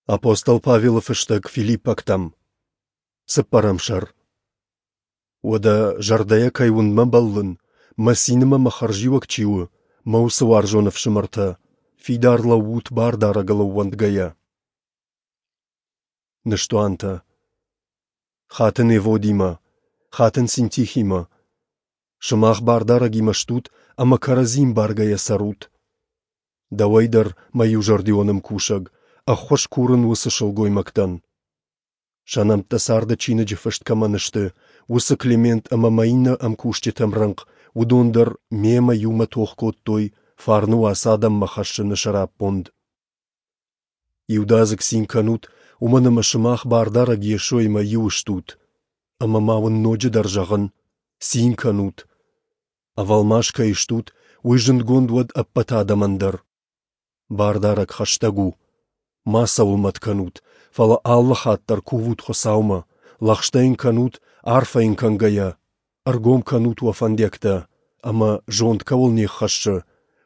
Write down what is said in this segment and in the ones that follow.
Апостол Павелы фыстӕг Филиппӕгтӕм. Цыппӕрӕм сӕр. Уӕдӕ зӕрдӕйӕ кӕй уындмӕ бӕллын, мӕ цины ӕмӕ мӕ хӕрзиуӕг чи у, мӕ уыцы уарзон ӕфсымӕртӕ, фидар лӕуут Бардарӕгыл ӕууӕндгӕйӕ. Ныстуантӕ. Хатын Эводимӕ, хатын Синтихимӕ. Сымах Бардарӕгимӕ стут ӕмӕ кӕрӕдзи ӕмбаргӕйӕ цӕрут. Дӕуӕй дӕр, мӕ иузӕрдион ӕмкусӕг, ӕххуыс курын уыцы сылгоймӕгтӕн. Сӕ нӕмттӕ царды чиныджы фыст кӕмӕн сты, уыцы Климент ӕмӕ мӕ иннӕ ӕмкусджытӕм рӕнхъ уыдон дӕр мемӕ иумӕ тох кодтой фарны уац адӕммӕ хӕссыны сӕраппонд. Иудадзыг цин кӕнут, уымӕн ӕмӕ сымах Бардарӕг Йесоимӕ иу стут. Ӕмӕ ма уын ноджыдӕр зӕгъын, цин кӕнут! Ӕвӕлмас кӕй стут, уый зындгонд уӕд ӕппӕт адӕмӕн дӕр. Бардарӕг хӕстӕг у. Мацӕуыл мӕт кӕнут, фӕлӕ алы хатт дӕр кувут Хуыцаумӕ, лӕгъстӕ йын кӕнут, арфӕ йын кӕнгӕйӕ, ӕргом кӕнут уӕ фӕндиӕгтӕ, ӕмӕ, зонд кӕуыл не ххӕссы,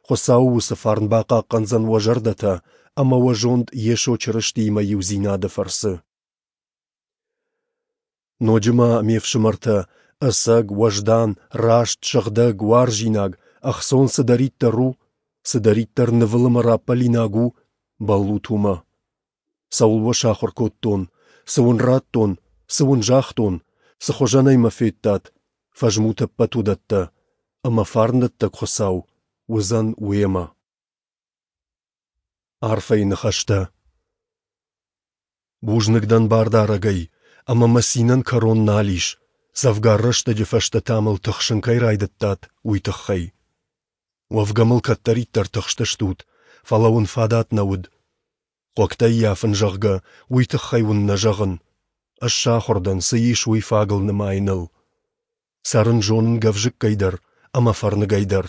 Хуыцауы уыцы фарн бахъахъхъӕндзӕн уӕ зӕрдӕтӕ ӕмӕ уӕ зонд Йесо Чырыстиимӕ иудзинады фӕрцы. Ноджы ма, ме фсымӕртӕ, ӕцӕг, уӕздан, раст, сыгъдӕг, уарзинаг, ӕхцон цыдӕриддӕр у, цыдӕриддӕр нывыл ӕмӕ раппӕлинаг у, бӕллут уымӕ. Цӕуыл уӕ сахуыр кодтон, цы уын радтон, цы уын загътон, цы хуызӕнӕй мӕ федтат, фӕзмут ӕппӕт уыдӕттӕ, ӕмӕ фарндӕттӕг Хуыцау уыдзӕн уемӕ. Арфӕйы ныхӕстӕ. Бузныг дӕн Бардарӕгӕй, ӕмӕ мӕ цинӕн кӕрон нал ис, дзӕвгар рӕстӕджы фӕстӕ та мыл тыхсын кӕй райдыдтат, уый тыххӕй. Уӕвгӕ мыл кӕддӕриддӕр тыхстыстут, фӕлӕ уын фадат нӕ уыд. Хъуӕгтӕ ӕййафын, зӕгъгӕ, уый тыххӕй уын нӕ зӕгъын. Ӕз сахуыр дӕн, цы ис, уый фагыл нымайыныл. Цӕрын зонын гӕвзыккӕй дӕр ӕмӕ фӕрныгӕй дӕр.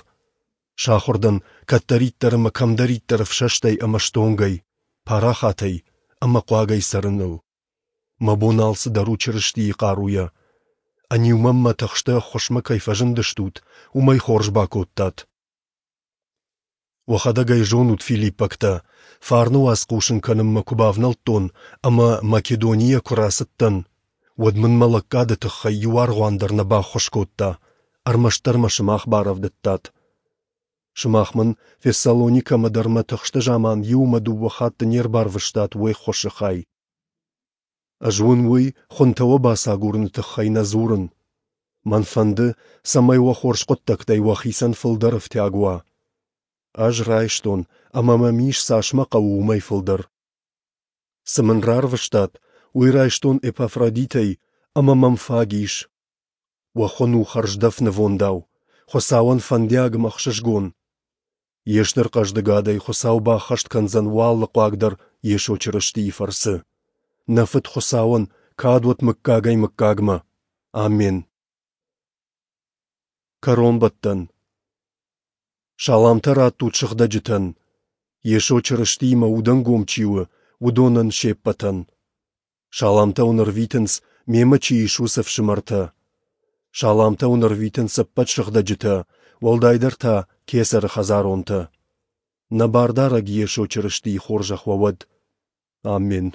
Сахуыр дӕн кӕддӕриддӕр ӕмӕ кӕмдӕриддӕр ӕфсӕстӕй ӕмӕ стонгӕй, парахатӕй ӕмӕ хъуагӕй цӕрыныл. Мӕ бон алцыдӕр у Чырыстийы хъаруйӕ. Ӕниу мӕм мӕ тыхсты ӕххуысмӕ кӕй фӕзындыстут, уымӕй хорз бакодтат. Уӕхӕдӕг ӕй зонут, филиппӕгтӕ, фарны уац хъусын кӕнынмӕ куы бавнӕлдтон ӕмӕ Македонийӕ куы рацыдтӕн, уӕд мын мӕ лӕггады тыххӕй иу аргъуан дӕр нӕ баххуыс кодта, ӕрмӕстдӕр мӕ сымах барӕвдыдтат. Сымах мын Фессалоникӕмӕ дӕр мӕ тыхсты заман иу ӕмӕ дыууӕ хатты не рбарвыстат уе ххуысы хай. Ӕз уын уый хуынтӕ уӕ бацагурыны тыххӕй нӕ дзурын. Мӕн фӕнды, цӕмӕй уӕ хорз хъуыддӕгтӕй уӕхицӕн фылдӕр ӕфтиаг уа. Ӕз райстон, ӕмӕ мӕм ис, цас мӕ хъӕуы, уымӕй фылдӕр. Цы мын рарвыстат, уый райстон Эпафродитӕй, ӕмӕ мӕм фаг ис. Уӕ хуын у хӕрздӕф нывондау, Хуыцауӕн фӕндиаг ӕмӕ ӕхсызгон. Йе стыр хъӕздыгадӕй Хуыцау баххӕст кӕндзӕн уӕ алы хъуаг дӕр Йесо Чырыстийы фӕрцы. Нӕ Фыд Хуыцауӕн кад уӕд мыггагӕй-мыггагмӕ. Аммен. Кӕронбӕттӕн. Саламтӕ раттут сыгъдӕджытӕн, Йесо Чырыстиимӕ удӕнгом чи у, уыдонӕн се ппӕтӕн. Саламтӕ уын ӕрвитынц, мемӕ чи ис, уыцы ӕфсымӕртӕ. Саламтӕ уын ӕрвитынц ӕппӕт сыгъдӕджытӕ, уӕлдайдӕр та кесӕры хӕдзаронтӕ. Нӕ Бардарӕг Йесо Чырыстийы хорзӕх уӕ уӕд. Аммен.